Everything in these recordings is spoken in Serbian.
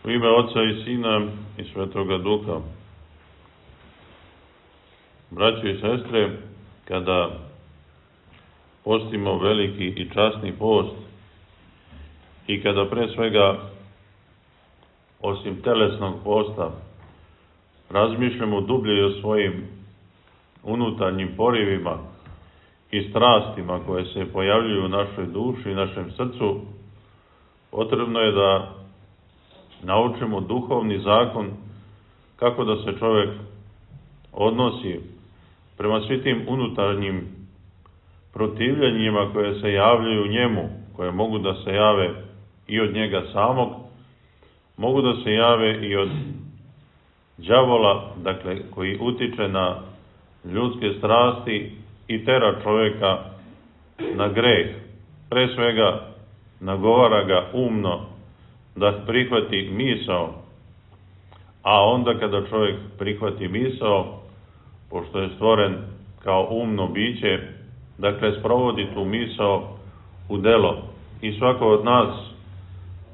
U ime Oca i Sina i Svetoga Duha. Braćo i sestre, kada postimo veliki i časni post i kada pre svega, osim telesnog posta, razmišljamo dublje o svojim unutarnjim porivima i strastima koje se pojavljuju u našoj duši i našem srcu, potrebno je da naučimo duhovni zakon kako da se čovjek odnosi prema svim tim unutarnjim protivljenjima koje se javljaju njemu, koje mogu da se jave i od njega samog, mogu da se jave i od đavola, dakle, koji utiče na ljudske strasti i tera čovjeka na greh. Pre svega, nagovara ga umno da prihvati misao, a onda kada čovjek prihvati misao, pošto je stvoren kao umno biće, dakle, sprovodi tu misao u delo. I svako od nas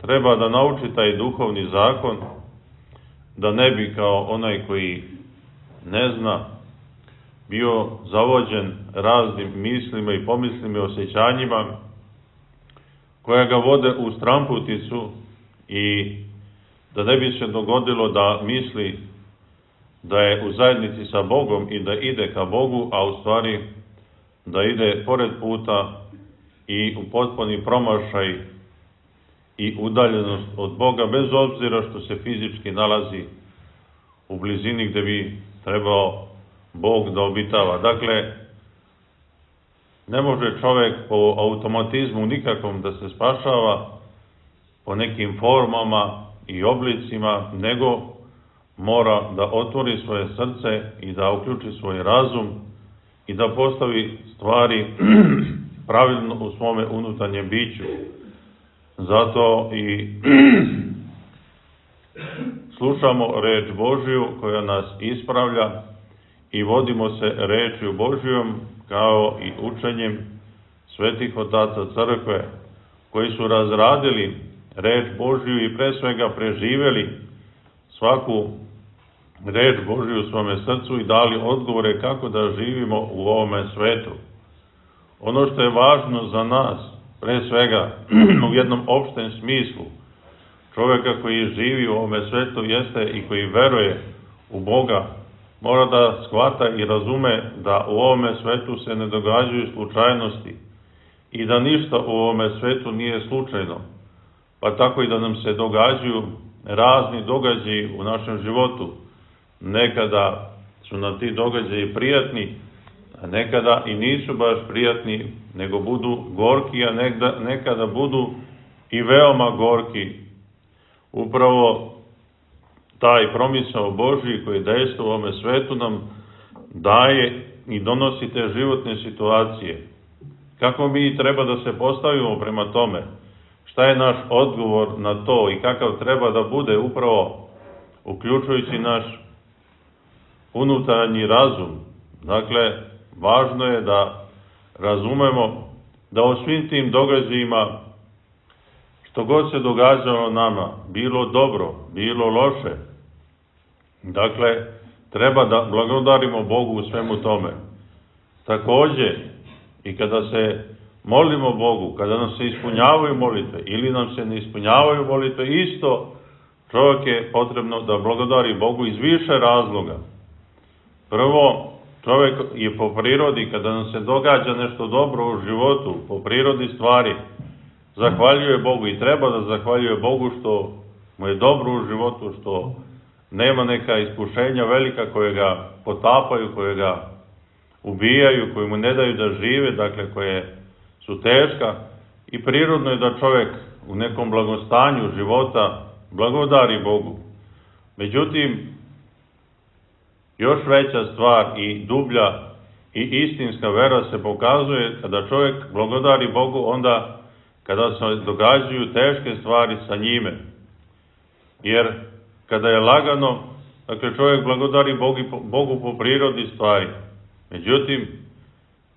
treba da nauči taj duhovni zakon, da ne bi kao onaj koji ne zna bio zavođen raznim mislima i pomislima i osjećanjima koja ga vode u stramputicu i da ne bi se dogodilo da misli da je u zajednici sa Bogom i da ide ka Bogu, a u stvari da ide pored puta i u potpuni promašaj i udaljenost od Boga, bez obzira što se fizički nalazi u blizini gde bi trebao Bog da obitava. Dakle, ne može čovjek po automatizmu nikakvom da se spašava po nekim formama i oblicima, nego mora da otvori svoje srce i da uključi svoj razum i da postavi stvari pravilno u svome unutarnjem biću. Zato i slušamo reč Božiju koja nas ispravlja i vodimo se rečju Božijom kao i učenjem svetih otaca crkve koji su razradili reč Božiju i pre svega preživeli svaku reč Božiju u svome srcu i dali odgovore kako da živimo u ovome svetu. Ono što je važno za nas, pre svega u jednom opštem smislu, čovjeka koji živi u ovome svetu jeste i koji veruje u Boga, mora da shvata i razume da u ovome svetu se ne događaju slučajnosti i da ništa u ovome svetu nije slučajno, pa tako i da nam se događaju razni događaji u našem životu. Nekada su nam ti događaji prijatni, a nekada i nisu baš prijatni, nego budu gorki, a nekada budu i veoma gorki. Upravo taj promisao Božji koji dejstvo u ovome svetu nam daje i donosi te životne situacije. Kako mi treba da se postavimo prema tome? Šta je naš odgovor na to i kakav treba da bude upravo uključujući naš unutarnji razum? Dakle, važno je da razumemo da o svim tim događajima, što god se događalo nama, bilo dobro, bilo loše, dakle, treba da blagodarimo Bogu u svemu tome. Takođe, i kada se molimo Bogu, kada nam se ispunjavaju molitve ili nam se ne ispunjavaju molitve, isto čovjek je potrebno da blagodari Bogu iz više razloga. Prvo, čovjek je po prirodi, kada nam se događa nešto dobro u životu, po prirodi stvari, zahvaljuje Bogu i treba da zahvaljuje Bogu što mu je dobro u životu, što nema neka iskušenja velika koje ga potapaju, koje ga ubijaju, koje mu ne daju da žive, dakle koje su teška, i prirodno je da čovjek u nekom blagostanju života blagodari Bogu. Međutim, još veća stvar i dublja i istinska vera se pokazuje kada čovjek blagodari Bogu onda kada se događaju teške stvari sa njime. Jer kada je lagano, dakle čovjek blagodari Bogu po prirodi stvari. Međutim,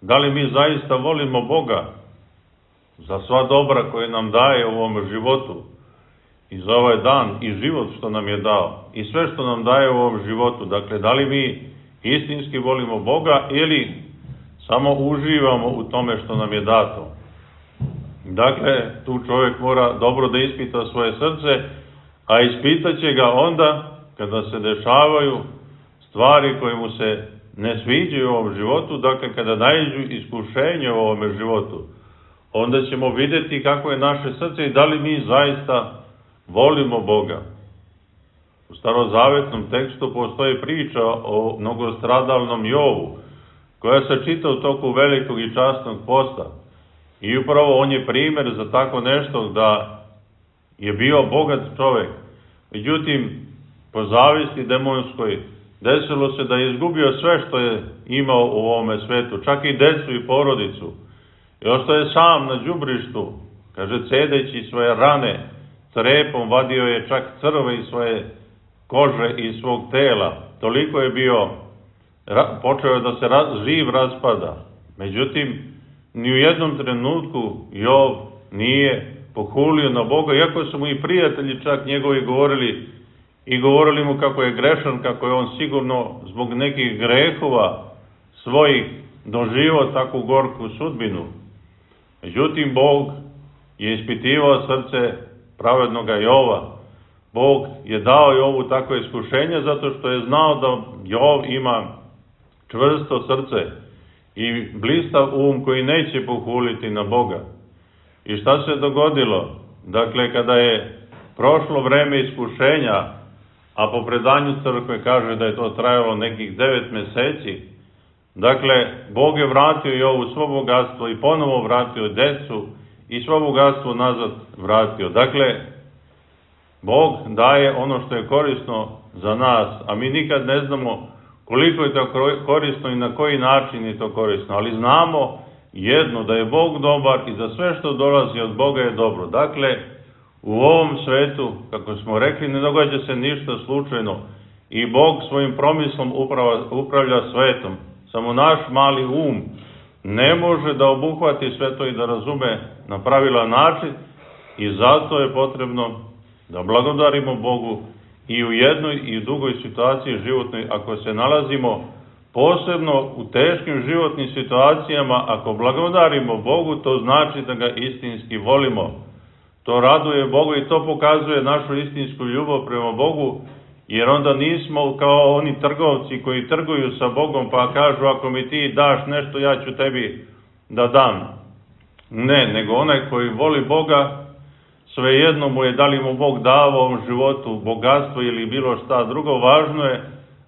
da li mi zaista volimo Boga za sva dobra koje nam daje u ovom životu? i za ovaj dan i život što nam je dao i sve što nam daje u ovom životu. Dakle, da li mi istinski volimo Boga ili samo uživamo u tome što nam je dato. Dakle, tu čovjek mora dobro da ispita svoje srce, a ispitaće ga onda kada se dešavaju stvari koje mu se ne sviđaju u ovom životu, dakle kada naiđu iskušenje u ovome životu, onda ćemo vidjeti kako je naše srce i da li mi zaista volimo Boga. U starozavetnom tekstu postoji priča o mnogostradalnom Jovu, koja se čita u toku velikog i časnog posta. I upravo on je primjer za tako nešto, da je bio bogat čovjek. Međutim, po zavisti demonskoj, desilo se da je izgubio sve što je imao u ovome svetu, čak i decu i porodicu. I ostao je sam na đubrištu, kaže, cedeći svoje rane, trepom vadio je čak crve iz svoje kože i svog tela. Toliko je bio, počeo je da se živ raspada. Međutim, ni u jednom trenutku Jov nije pohulio na Boga, iako su mu i prijatelji čak njegovi govorili mu kako je grešan, kako je on sigurno zbog nekih grehova svojih doživio takvu gorku sudbinu. Međutim, Bog je ispitivao srce pravednoga Jova. Bog je dao Jovu takvo iskušenje zato što je znao da Jov ima čvrsto srce i blistav koji neće pohuliti na Boga. I šta se dogodilo? Dakle, kada je prošlo vreme iskušenja, a po predanju crkve kaže da je to trajalo nekih 9 meseci, dakle, Bog je vratio Jovu svo bogatstvo i ponovo vratio decu i svo bogatstvo nazad vratio. Dakle, Bog daje ono što je korisno za nas, a mi nikad ne znamo koliko je to korisno i na koji način je to korisno, ali znamo jedno, da je Bog dobar i da sve što dolazi od Boga je dobro. Dakle, u ovom svetu, kako smo rekli, ne događa se ništa slučajno i Bog svojim promislom upravlja svetom. Samo naš mali ne može da obuhvati sve to i da razume na pravilan način i zato je potrebno da blagodarimo Bogu i u jednoj i u drugoj situaciji životnoj, ako se nalazimo posebno u teškim životnim situacijama, ako blagodarimo Bogu, to znači da ga istinski volimo. To raduje Boga i to pokazuje našu istinsku ljubav prema Bogu, jer onda nismo kao oni trgovci koji trguju sa Bogom pa kažu, ako mi ti daš nešto, ja ću tebi da dam. Ne, nego onaj koji voli Boga, svejedno mu je da li mu Bog dao ovom životu bogatstvo ili bilo šta drugo, važno je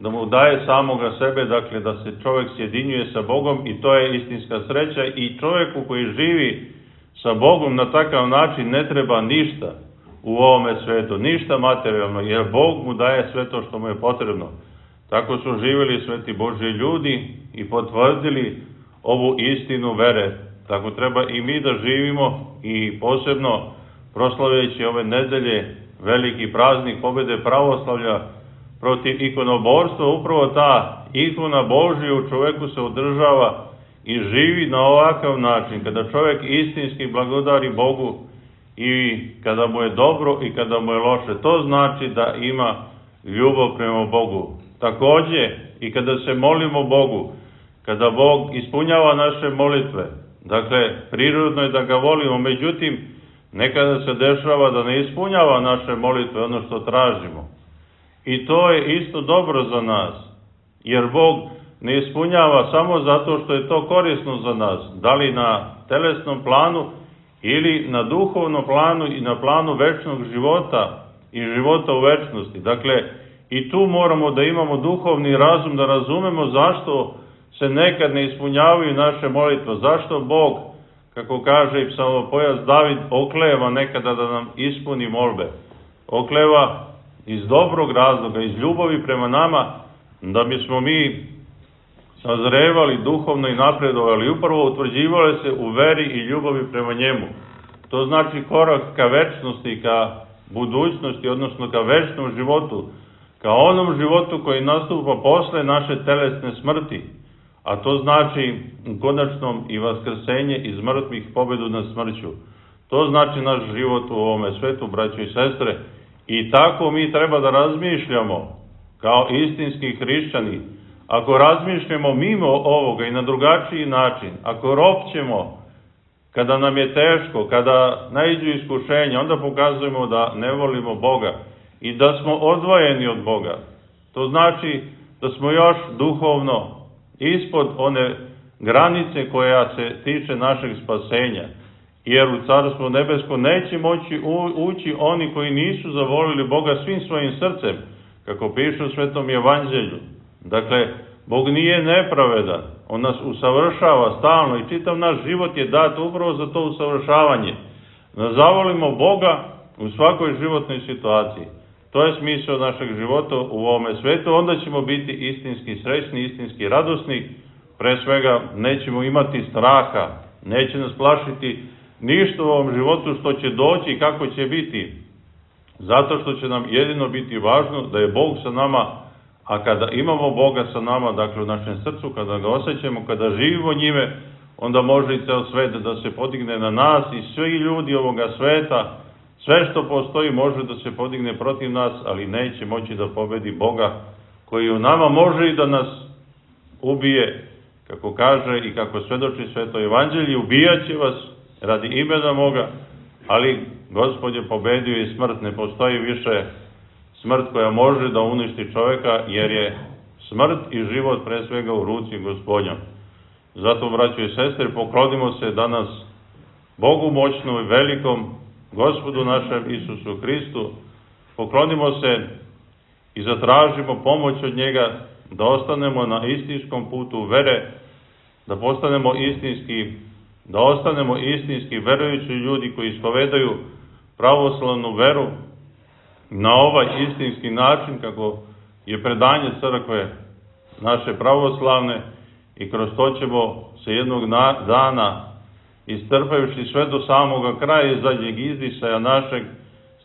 da mu daje samoga sebe, dakle da se čovjek sjedinjuje sa Bogom i to je istinska sreća i čovjeku koji živi sa Bogom na takav način ne treba ništa u ovome svetu, ništa materijalno, jer Bog mu daje sve to što mu je potrebno. Tako su živjeli sveti Božji ljudi i potvrdili ovu istinu vere. Tako treba i mi da živimo i posebno proslavljajući ove nedelje veliki praznik pobjede pravoslavlja protiv ikonoborstva, upravo ta ikona Božja u čovjeku se održava i živi na ovakav način, kada čovjek istinski blagodari Bogu i kada mu je dobro i kada mu je loše. To znači da ima ljubav prema Bogu. Također i kada se molimo Bogu, kada Bog ispunjava naše molitve, dakle, prirodno je da ga volimo, međutim, nekada se dešava da ne ispunjava naše molitve, ono što tražimo. I to je isto dobro za nas, jer Bog ne ispunjava samo zato što je to korisno za nas, da li na telesnom planu ili na duhovnom planu i na planu večnog života i života u večnosti. Dakle, i tu moramo da imamo duhovni razum, da razumemo zašto se nekad ne ispunjavaju naše molitve, zašto Bog, kako kaže i psalmopojac David, okleva nekada da nam ispuni molbe. Okleva iz dobrog razloga, iz ljubavi prema nama, da bismo mi sazrevali duhovno i napredovali, upravo utvrđivali se u veri i ljubavi prema njemu. To znači korak ka večnosti, ka budućnosti, odnosno ka večnom životu, ka onom životu koji nastupa posle naše telesne smrti, a to znači u konačnom i vaskrsenje iz mrtvih, pobedu nad smrću. To znači naš život u ovome svetu, braćo i sestre, i tako mi treba da razmišljamo kao istinski hrišćani. Ako razmišljamo mimo ovoga i na drugačiji način, ako ropćemo kada nam je teško, kada naiđu iskušenja, onda pokazujemo da ne volimo Boga i da smo odvojeni od Boga. To znači da smo još duhovno ispod one granice koja se tiče našeg spasenja. Jer u Carstvo nebesko neće moći ući oni koji nisu zavolili Boga svim svojim srcem, kako piše u Svetom evanđelju. Dakle, Bog nije nepravedan, On nas usavršava stalno i čitav naš život je dat upravo za to usavršavanje. Da zavolimo Boga u svakoj životnoj situaciji. To je smisao našeg života u ovome svetu, onda ćemo biti istinski srećni, istinski radosni, pre svega nećemo imati straha, neće nas plašiti ništa u ovom životu što će doći i kako će biti. Zato što će nam jedino biti važno da je Bog sa nama, a kada imamo Boga sa nama, dakle u našem srcu, kada ga osjećamo, kada živimo njime, onda može i ceo svet da se podigne na nas i svi ljudi ovoga sveta, sve što postoji može da se podigne protiv nas, ali neće moći da pobedi Boga koji u nama može i da nas ubije, kako kaže i kako svedoči Sveto evanđelje, ubijaće vas radi imena moga, ali Gospod je pobedio i smrt. Ne postoji više smrt koja može da uništi čoveka, jer je smrt i život pre svega u ruci Gospodnjom. Zato, braćo i sestre, poklonimo se danas Bogu moćnom i velikom, Gospodu našem Isusu Hristu, poklonimo se i zatražimo pomoć od njega da ostanemo na istinskom putu vere, da ostanemo istinski verujući ljudi koji ispovedaju pravoslavnu veru na ovaj istinski način kako je predanje crkve naše pravoslavne, i kroz to ćemo se jednog dana, istrpajući sve do samoga kraja i zadnjeg izdisaja našeg,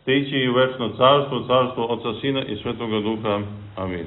stići i u večno carstvo, carstvo Oca, Sina i Svetoga Duha. Amin.